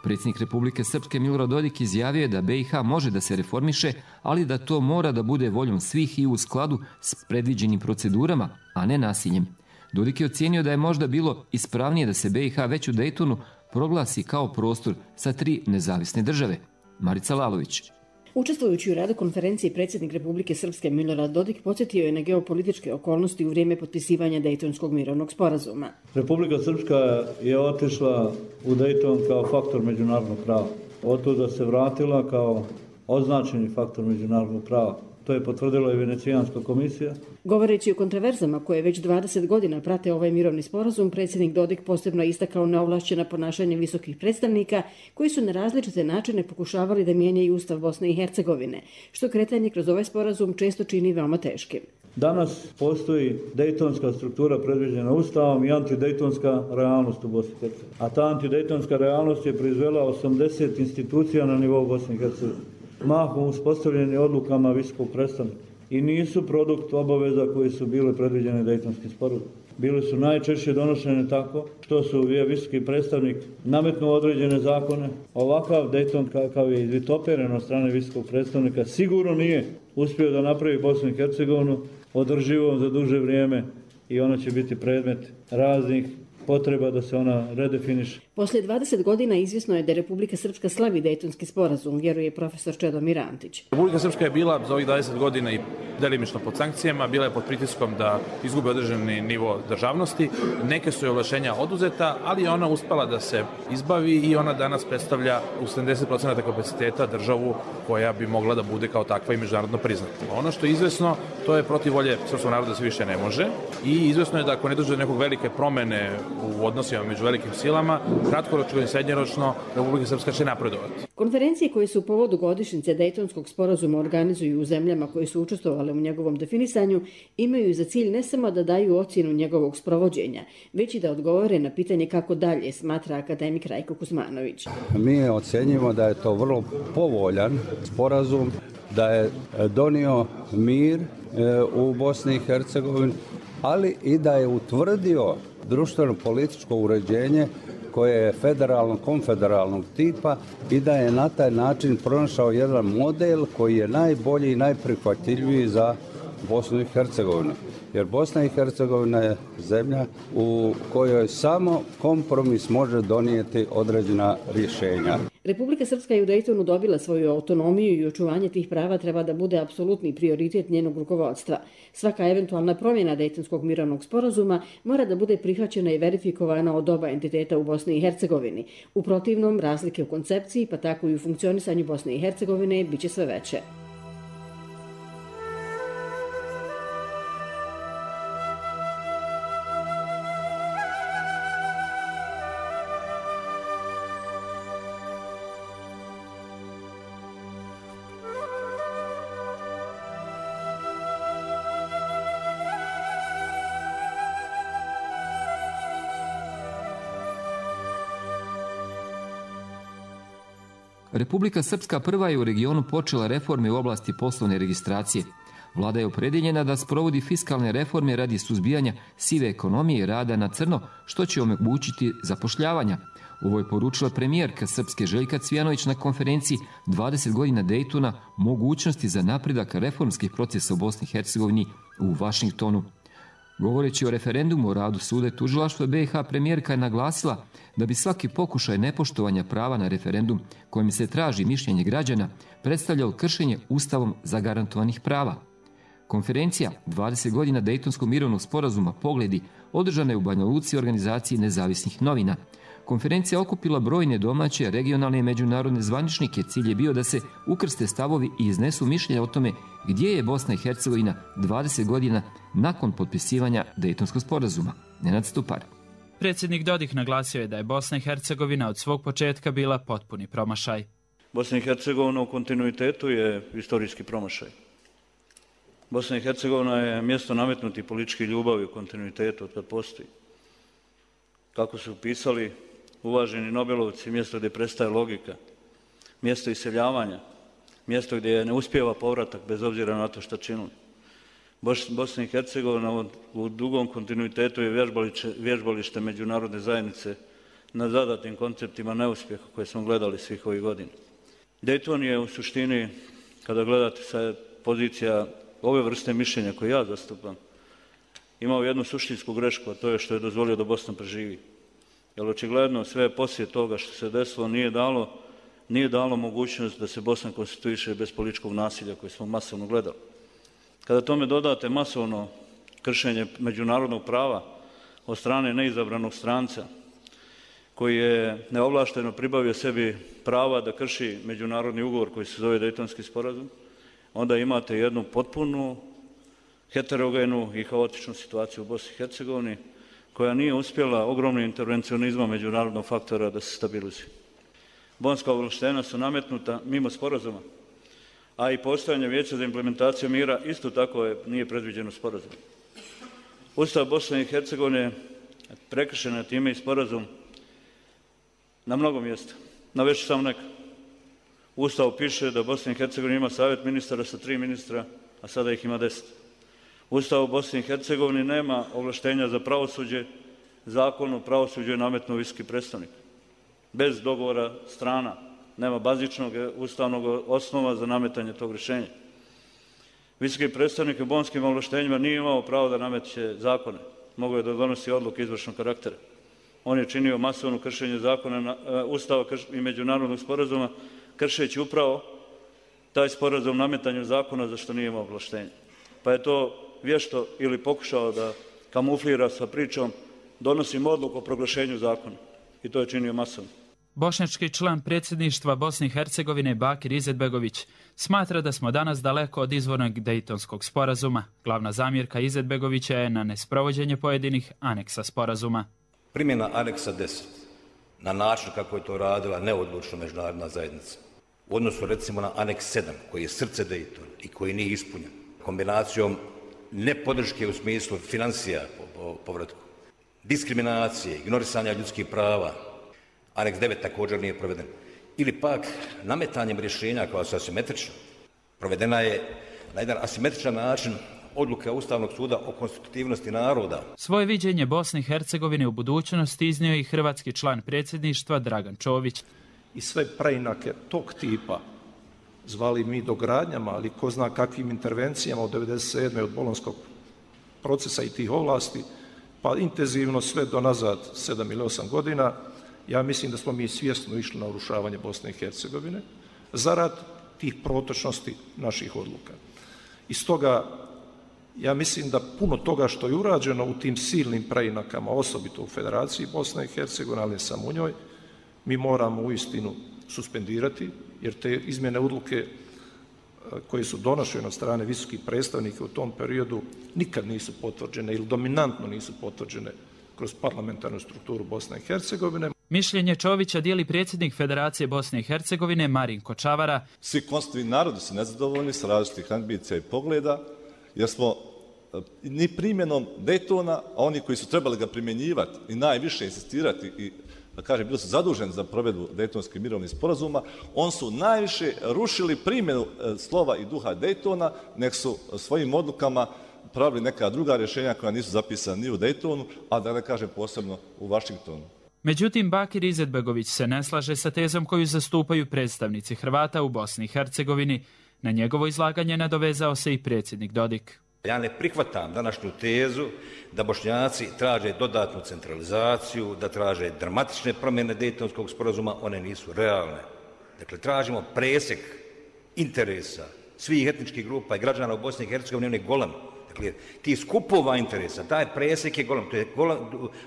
Predsjednik Republike Srpske Milorad Dodik izjavio je da BiH može da se reformiše, ali da to mora da bude voljom svih i u skladu s predviđenim procedurama, a ne nasiljem. Dodik je ocijenio da je možda bilo ispravnije da se BiH već u Dejtonu proglasi kao prostor sa 3 nezavisne države. Marica Lalović. Učestvujući u radu konferencije, predsjednik Republike Srpske Milorad Dodik podsjetio je na geopolitičke okolnosti u vrijeme potpisivanja Dejtonskog mirovnog sporazuma. Republika Srpska je otišla u Dejton kao faktor međunarodnog prava. Od tuda se vratila kao označeni faktor međunarodnog prava. To je potvrdila i Venecijanska komisija. Govoreći o kontroverzama koje već 20 godina prate ovaj mirovni sporazum, predsjednik Dodik posebno istakao neovlašćena ponašanja visokih predstavnika koji su na različite načine pokušavali da mijenjaju Ustav Bosne i Hercegovine, što kretanje kroz ovaj sporazum često čini veoma teškim. Danas postoji dejtonska struktura predviđena Ustavom i antidejtonska realnost u Bosni i Hercegovini. A ta antidejtonska realnost je proizvela 80 institucija na nivou Bosne i Hercegovine. Mahom uspostavljeni odlukama visokog predstavnika i nisu produkt obaveza koji su bile predviđene dejtonskim sporazumom. Bili su najčešće donošene tako što su visoki predstavnik nametnuo određene zakone. Ovakav Dejton kakav je izvitoperen od strane visokog predstavnika sigurno nije uspio da napravi Bosnu i Hercegovinu održivom za duže vrijeme i ona će biti predmet raznih potreba da se ona redefiniše. Poslije 20 godina izvjesno je da Republika Srpska slavi Dejtonski sporazum, vjeruje profesor Čedomir Antić. Republika Srpska je bila za ovih 20 godina i delimično pod sankcijama, bila je pod pritiskom da izgubi određeni nivo državnosti. Neke su joj ovlašćenja oduzeta, ali je ona uspela da se izbavi i ona danas predstavlja u 70% kapaciteta državu koja bi mogla da bude kao takva i međunarodno priznata. Ono što je izvesno, to je protiv volje srpskog naroda se više ne može i izvesno je da ako ne dođe do nekog velike promene u odnosima među velikim silama, kratkoročno i srednjoročno Republika Srpska će napredovati. Konferencije koje su u povodu godišnjice Dejtonskog sporazuma organizuju u zemljama koje su učestvovale u njegovom definisanju imaju za cilj ne samo da daju ocjenu njegovog sprovođenja, već i da odgovore na pitanje kako dalje, smatra akademik Rajko Kuzmanović. Mi ocenjujemo da je to vrlo povoljan sporazum, da je donio mir u Bosni i Hercegovini, ali i da je utvrdio društveno-političko uređenje koje je federalno-konfederalnog tipa i da je na taj način pronašao jedan model koji je najbolji i najprihvatljiviji za Bosnu i Hercegovinu. Jer Bosna i Hercegovina je zemlja u kojoj samo kompromis može donijeti određena rješenja. Republika Srpska je u Dejtonu dobila svoju autonomiju i očuvanje tih prava treba da bude apsolutni prioritet njenog rukovodstva. Svaka eventualna promjena Dejtonskog mirovnog sporazuma mora da bude prihvaćena i verifikovana od oba entiteta u Bosni i Hercegovini. U protivnom, razlike u koncepciji, pa tako i u funkcionisanju Bosne i Hercegovine, biće sve veće. Republika Srpska prva je u regionu počela reforme u oblasti poslovne registracije. Vlada je opredjeljena da sprovodi fiskalne reforme radi suzbijanja sive ekonomije i rada na crno, što će omogućiti zapošljavanja. Ovo je poručila premijerka Srpske Željka Cvijanović na konferenciji 20 godina Dejtona mogućnosti za napredak reformskih procesa u Bosni i Hercegovini u Vašingtonu. Govoreći o referendumu o radu suda i tužilaštva BiH, premijerka je naglasila da bi svaki pokušaj nepoštovanja prava na referendum kojim se traži mišljenje građana predstavljao kršenje Ustavom zagarantovanih prava. Konferencija 20 godina Dejtonskog mirovnog sporazuma Pogledi održana je u Banja Luci organizaciji nezavisnih novina. Konferencija okupila brojne domaće, regionalne i međunarodne zvaničnike. Cilj je bio da se ukrste stavovi i iznesu mišljenja o tome gdje je Bosna i Hercegovina 20 godina nakon potpisivanja Dejtonskog sporazuma. Nenad Stupar. Predsjednik Dodik naglasio je da je Bosna i Hercegovina od svog početka bila potpuni promašaj. Bosna i Hercegovina u kontinuitetu je istorijski promašaj. Bosna i Hercegovina je mjesto nametnuti političke ljubavi u kontinuitetu od kad postoji. Kako su pisali uvaženi Nobelovci, mjesto gdje prestaje logika, mjesto iseljavanja, mjesto gdje ne uspijeva povratak bez obzira na to što činili. Bosna i Hercegovina u dugom kontinuitetu je vježbalište međunarodne zajednice na zadatim konceptima neuspjeha koje smo gledali svih ovih godina. Dejton je u suštini, kada gledate sa pozicija ove vrste mišljenja koje ja zastupam, imao jednu suštinsku grešku, a to je što je dozvolio da Bosna preživi. Jer očigledno sve poslije toga što se desilo nije dalo mogućnost da se Bosna konstituiše bez političkog nasilja koje smo masovno gledali. Kada tome dodate masovno kršenje međunarodnog prava od strane neizabranog stranca, koji je neovlašteno pribavio sebi prava da krši međunarodni ugovor koji se zove Dejtonski sporazum, onda imate jednu potpunu heterogenu i haotičnu situaciju u Bosni i Hercegovini, koja nije uspjela ogromnim intervencionizmom međunarodnog faktora da se stabilizuje. Bonska ovlaštenja su nametnuta mimo sporazuma, a i postojanje Vijeća za implementaciju mira isto tako nije predviđeno sporazumom. Ustav Bosne i Hercegovine prekršen je time i sporazum na mnogo mjesta. Navešću samo neka. U Ustavu piše da Bosna i Hercegovina ima savjet ministara sa 3 ministra, a sada ih ima 10. U Ustavu Bosne i Hercegovine nema ovlaštenja za pravosuđe, zakon o pravosuđu je nametnuo visoki predstavnik. Bez dogovora strana, nema bazičnog ustavnog osnova za nametanje tog rješenja. Visoki predstavnik u bonskim ovlaštenjima nije imao pravo da nameće zakone, mogao je da donosi odluke izvršnog karaktera. On je činio masovno kršenje zakona, Ustava i međunarodnog sporazuma, kršeći upravo taj sporazum nametanju zakona za što nije imao ovlaštenje. Pa je to vješto ili pokušao da kamuflira sa pričom donosim odluku o proglašenju zakona. I to je činio masovno. Bošnjački član predsjedništva Bosne i Hercegovine Bakir Izetbegović smatra da smo danas daleko od izvornog Dejtonskog sporazuma. Glavna zamjerka Izetbegovića je na nesprovođenje pojedinih aneksa sporazuma. Primjena aneksa 10 na način kako je to radila neodlučno međunarodna zajednica u odnosu recimo na aneks 7 koji je srce Dejtona i koji nije ispunjen kombinacijom nepodrške u smislu financija po povratku, diskriminacije, ignorisanja ljudskih prava, aneks 9 također nije proveden, ili pak nametanjem rješenja koja su asimetrična. Provedena je na jedan asimetričan način odluka Ustavnog suda o konstitutivnosti naroda. Svoje viđenje Bosne i Hercegovine u budućnosti iznio i hrvatski član predsjedništva Dragan Čović. I sve preinake tog tipa, zvali mi dogradnjama, ali ko zna kakvim intervencijama od 1997. od bolonskog procesa i tih ovlasti, pa intenzivno sve do nazad 7 ili 8 godina, ja mislim da smo mi svjesno išli na urušavanje Bosne i Hercegovine zarad tih protočnosti naših odluka. I stoga ja mislim da puno toga što je urađeno u tim silnim preinakama, osobito u Federaciji Bosne i Hercegovine, ali ne samo u njoj, mi moramo uistinu suspendirati, jer te izmjene odluke koje su donošene od strane visokih predstavnika u tom periodu nikad nisu potvrđene ili dominantno nisu potvrđene kroz parlamentarnu strukturu Bosne i Hercegovine. Mišljenje Čovića dijeli predsjednik Federacije Bosne i Hercegovine Marin Kočavara. Svi konstitutivni narodi su nezadovoljni s različitih ambicija i pogleda, jer smo ni primjenom Dejtona, a oni koji su trebali ga primjenjivati i najviše insistirati i da kažem, bili su zaduženi za provedbu Dejtonskih mirovnih sporazuma, on su najviše rušili primjenu slova i duha Dejtona, nek su svojim odlukama pravili neka druga rješenja koja nisu zapisana ni u Dejtonu, a da ne kažem posebno u Vašingtonu. Međutim, Bakir Izetbegović se ne slaže sa tezom koju zastupaju predstavnici Hrvata u Bosni i Hercegovini. Na njegovo izlaganje nadovezao se i predsjednik Dodik. Ja ne prihvatam današnju tezu da Bošnjaci traže dodatnu centralizaciju, da traže dramatične promjene Dejtonskog sporazuma, one nisu realne. Dakle, tražimo presjek interesa svih etničkih grupa i građana u Bosni i Hercegovini, on je golem. Dakle, ti skupova interesa, taj presjek je golem, to je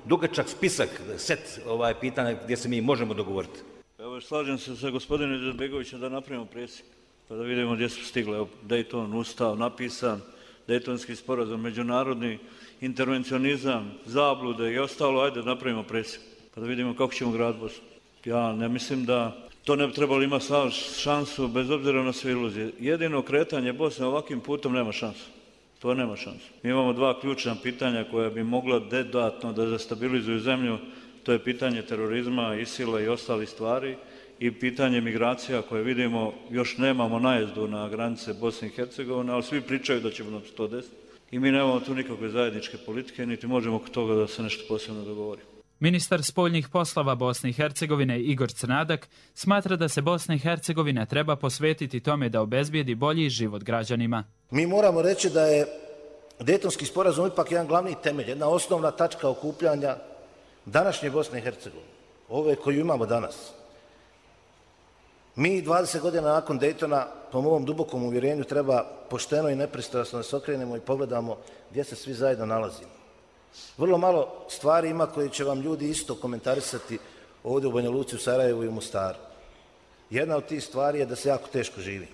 dugačak spisak, set pitanja gdje se mi možemo dogovoriti. Evo, slažem se sa gospodinom Izetbegovićem da napravimo presjek, pa da vidimo gdje su stigli. Dejton, Ustav, napisan, Dejtonski sporazum, međunarodni intervencionizam, zablude i ostalo, ajde da napravimo presjek, pa da vidimo kako ćemo graditi Bosnu. Ja ne mislim da to ne bi trebalo imati šansu, bez obzira na sve iluzije. Jedino kretanje Bosne ovakvim putom nema šansu. To nema šansu. Mi imamo dva ključna pitanja koja bi mogla dodatno da destabilizuju zemlju. To je pitanje terorizma, ISIL-a i ostalih stvari i pitanje migracija koje vidimo, još nemamo najezdu na granice Bosne i Hercegovine, ali svi pričaju da ćemo nam to desiti. I mi nemamo tu nikakve zajedničke politike, niti možemo oko toga da se nešto posebno dogovori. Ministar spoljnih poslova Bosne i Hercegovine Igor Crnadak smatra da se Bosna i Hercegovina treba posvetiti tome da obezbijedi bolji život građanima. Mi moramo reći da je Dejtonski sporazum ipak jedan glavni temelj, jedna osnovna tačka okupljanja današnje Bosne i Hercegovine, ove koju imamo danas. Mi 20 godina nakon Dejtona, po mom dubokom uvjerenju, treba pošteno i nepristrasno da se okrenemo i pogledamo gdje se svi zajedno nalazimo. Vrlo malo stvari ima koje će vam ljudi isto komentarisati ovdje u Banja Luci, u Sarajevu i u Mostaru. Jedna od tih stvari je da se jako teško živi.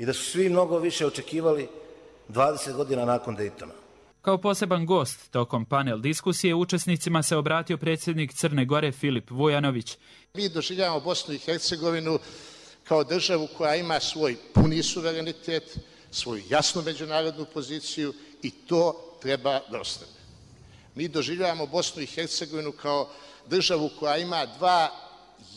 i da su svi mnogo više očekivali 20 godina nakon Daytona. Kao poseban gost tokom panel diskusije učesnicima se obratio predsjednik Crne Gore Filip Vujanović. Mi doživljavamo Bosnu i Hercegovinu kao državu koja ima svoj puni suverenitet, svoju jasnu međunarodnu poziciju i to treba da ostane. Mi doživljavamo Bosnu i Hercegovinu kao državu koja ima 2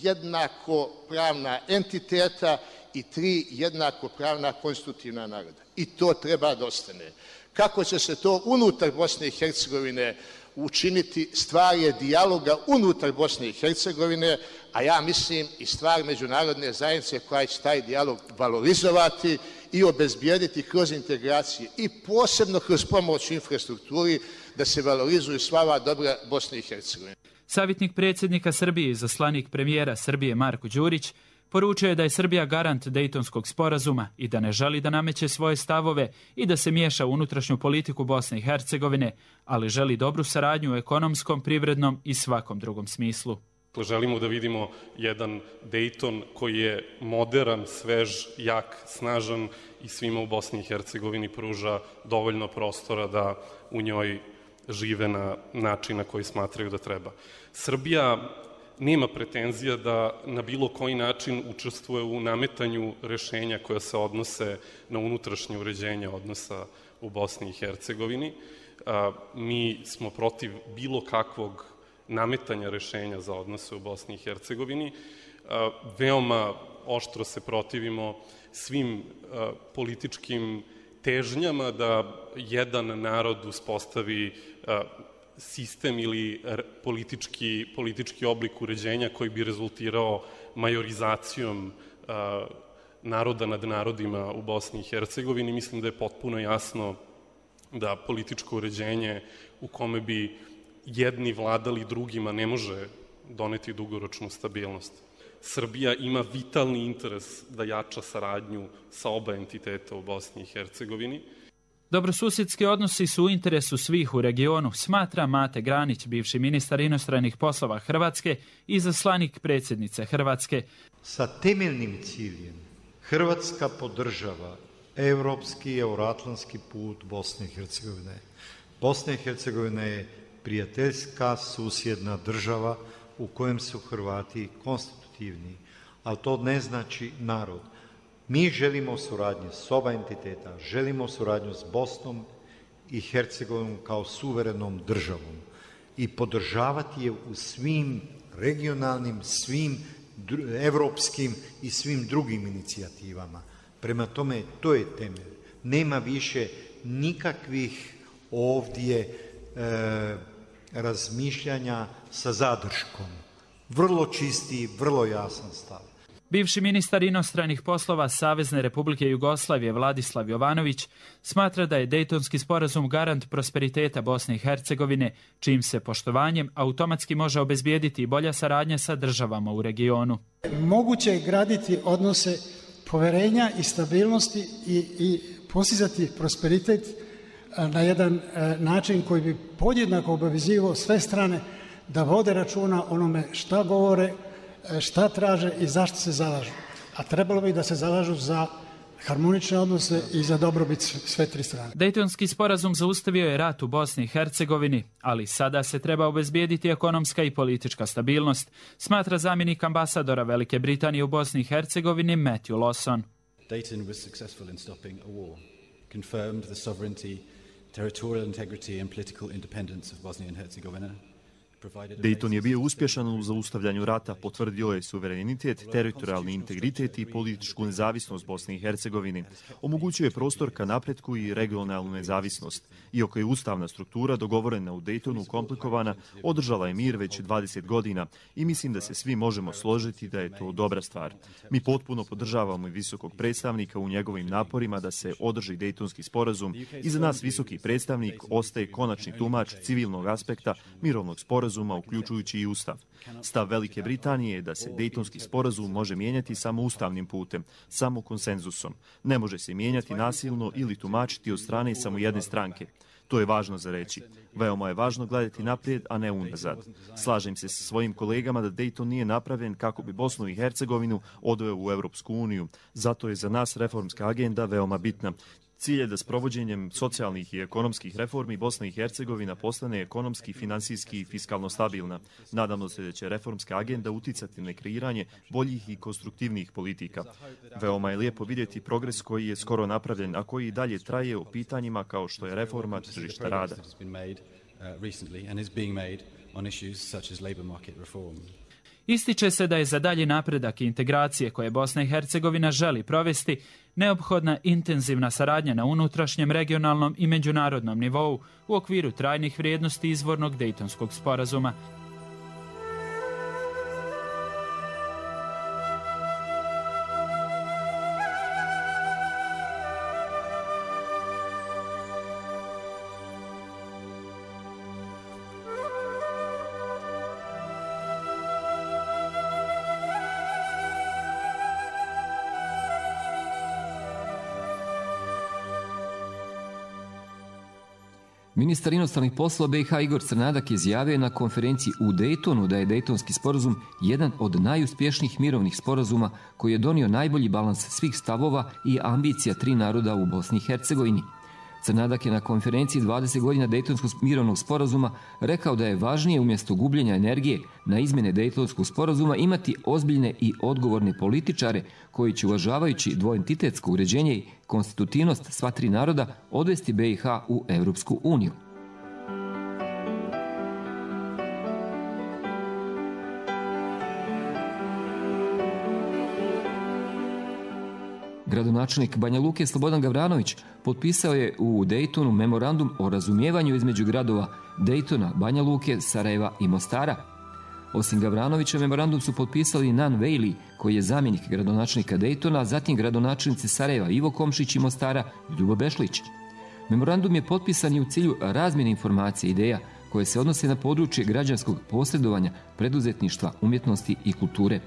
jednako pravna entiteta i 3 jednako pravna konstitutivna naroda. I to treba da ostane. Kako će se to unutar Bosne i Hercegovine učiniti, stvar je dijaloga unutar Bosne i Hercegovine, a ja mislim i stvar međunarodne zajednice koja će taj dijalog valorizovati i obezbijediti kroz integracije i posebno kroz pomoć u infrastrukturi da se valorizuju sva ova dobra Bosne i Hercegovine. Savjetnik predsjednika Srbije i zaslanik premijera Srbije Marko Đurić poručio je da je Srbija garant Dejtonskog sporazuma i da ne želi da nameće svoje stavove i da se miješa u unutrašnju politiku Bosne i Hercegovine, ali želi dobru saradnju u ekonomskom, privrednom i svakom drugom smislu. Želimo da vidimo jedan Dejton koji je moderan, svež, jak, snažan i svima u Bosni i Hercegovini pruža dovoljno prostora da u njoj žive na način na koji smatraju da treba. Srbija nema pretenzija da na bilo koji način učestvuje u nametanju rešenja koja se odnose na unutrašnje uređenje odnosa u Bosni i Hercegovini. Mi smo protiv bilo kakvog nametanja rešenja za odnose u Bosni i Hercegovini. Veoma oštro se protivimo svim političkim težnjama da jedan narod uspostavi sistem ili politički oblik uređenja koji bi rezultirao majorizacijom naroda nad narodima u Bosni i Hercegovini. Mislim da je potpuno jasno da političko uređenje u kome bi jedni vladali drugima ne može doneti dugoročnu stabilnost. Srbija ima vitalni interes da jača saradnju sa oba entiteta u Bosni i Hercegovini. Dobrosusjedski odnosi su u interesu svih u regionu, smatra Mate Granić, bivši ministar inostranih poslova Hrvatske i zaslanik predsjednice Hrvatske. Sa temeljnim ciljem Hrvatska podržava evropski i euroatlantski put Bosne i Hercegovine. Bosna i Hercegovina je prijateljska susjedna država u kojem su Hrvati konstitutivni, ali to ne znači narod. Mi želimo suradnju s oba entiteta, želimo suradnju s Bosnom i Hercegovinom kao suverenom državom i podržavati je u svim regionalnim, svim evropskim i svim drugim inicijativama. Prema tome, to je temelj. Nema više nikakvih ovdje razmišljanja sa zadrškom. Vrlo čisti, vrlo jasan stav. Bivši ministar inostranih poslova Savezne Republike Jugoslavije Vladislav Jovanović smatra da je Dejtonski sporazum garant prosperiteta Bosne i Hercegovine, čijim se poštovanjem automatski može obezbijediti i bolja saradnja sa državama u regionu. Moguće je graditi odnose poverenja i stabilnosti i postizati prosperitet na jedan način koji bi podjednako obavezivao sve strane da vode računa onome šta govore, šta traže i zašto se zalažu. A trebalo bi da se zalažu za harmonične odnose i za dobrobit sve tri strane. Dejtonski sporazum zaustavio je rat u Bosni i Hercegovini, ali sada se treba obezbijediti ekonomska i politička stabilnost, smatra zamjenik ambasadora Velike Britanije u Bosni i Hercegovini Matthew Lawson. Dayton was successful in stopping a war, confirmed the sovereignty, territorial integrity and political independence of Bosnia and Herzegovina. Dejton je bio uspješan u zaustavljanju rata, potvrdio je suverenitet, teritorijalni integritet i političku nezavisnost Bosne i Hercegovine. Omogućio je prostor ka napretku i regionalnu nezavisnost. Iako je ustavna struktura dogovorena u Dejtonu komplikovana, održala je mir već 20 godina i mislim da se svi možemo složiti da je to dobra stvar. Mi potpuno podržavamo i visokog predstavnika u njegovim naporima da se održi Dejtonski sporazum i za nas visoki predstavnik ostaje konačni tumač civilnog aspekta mirovnog sporazuma, uključujući i Ustav. Stav Velike Britanije je da se Dejtonski sporazum može mijenjati samo ustavnim putem, samo konsenzusom. Ne može se mijenjati nasilno ili tumačiti od strane samo jedne stranke. To je važno za reći. Veoma je važno gledati naprijed, a ne unazad. Slažem se sa svojim kolegama da Dayton nije napravljen kako bi Bosnu i Hercegovinu odveo u Europsku uniju. Zato je za nas reformska agenda veoma bitna. Cilj je da s provođenjem socijalnih i ekonomskih reformi Bosna i Hercegovina postane ekonomski, finansijski i fiskalno stabilna. Nadamo se da će reformska agenda uticati na kreiranje boljih i konstruktivnijih politika. Veoma je lijepo vidjeti progres koji je skoro napravljen, a koji i dalje traje o pitanjima kao što je reforma tržišta rada. Ističe se da je za dalji napredak i integracije koje Bosna i Hercegovina želi provesti neophodna intenzivna saradnja na unutrašnjem, regionalnom i međunarodnom nivou u okviru trajnih vrijednosti izvornog Dejtonskog sporazuma. Ministar inostranih poslova BiH Igor Crnadak izjavio na konferenciji u Daytonu da je Dejtonski sporazum jedan od najuspješnijih mirovnih sporazuma koji je donio najbolji balans svih stavova i ambicija tri naroda u Bosni i Hercegovini. Crnadak je na konferenciji 20 godina Dejtonskog mirovnog sporazuma rekao da je važnije umjesto gubljenja energije na izmjene Dejtonskog sporazuma imati ozbiljne i odgovorne političare koji će, uvažavajući dvoentitetsko uređenje i konstitutivnost sva tri naroda, odvesti BiH u Europsku uniju. Gradonačelnik Banja Luke Slobodan Gavranović potpisao je u Dejtonu memorandum o razumijevanju između gradova Dejtona, Banja Luke, Sarajeva i Mostara. Osim Gavranovića, memorandum su potpisali Nan Vejli, koji je zamjenik gradonačelnika Dejtona, zatim gradonačelnici Sarajeva Ivo Komšić i Mostara Ljubo Bešlić. Memorandum je potpisan i u cilju razmjene informacija i ideja koje se odnose na područje građanskog posredovanja, preduzetništva, umjetnosti i kulture.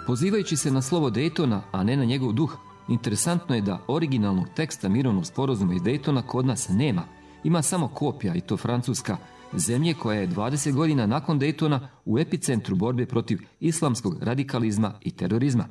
Pozivajući se na slovo Dejtona, a ne na njegov duh, interesantno je da originalnog teksta mirovnog sporazuma iz Dejtona kod nas nema. Ima samo kopija, i to francuska, zemlje koja je 20 godina nakon Dejtona u epicentru borbe protiv islamskog radikalizma i terorizma.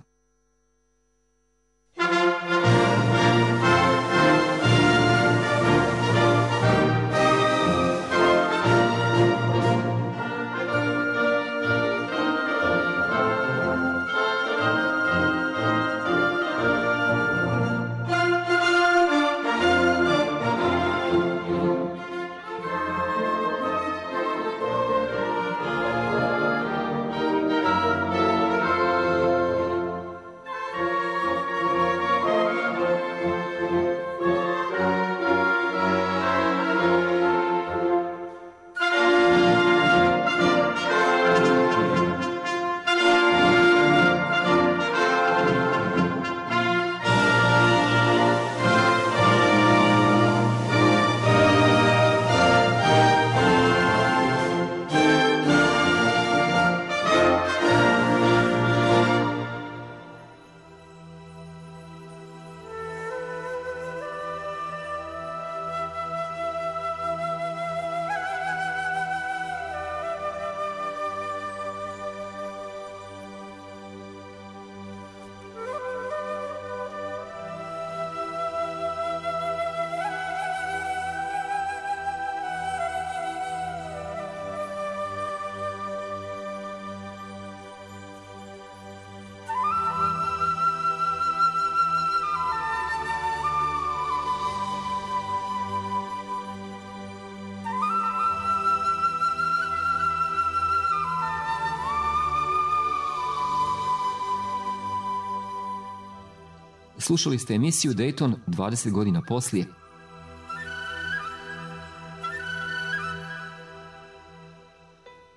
Slušali ste emisiju Dayton 20 godina poslije.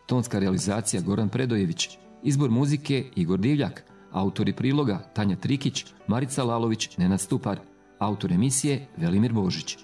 Tonska realizacija Goran Predojević, izbor muzike Igor Divljak, autori priloga Tanja Trikić, Marica Lalović, Nenad Stupar, autor emisije Velimir Božić.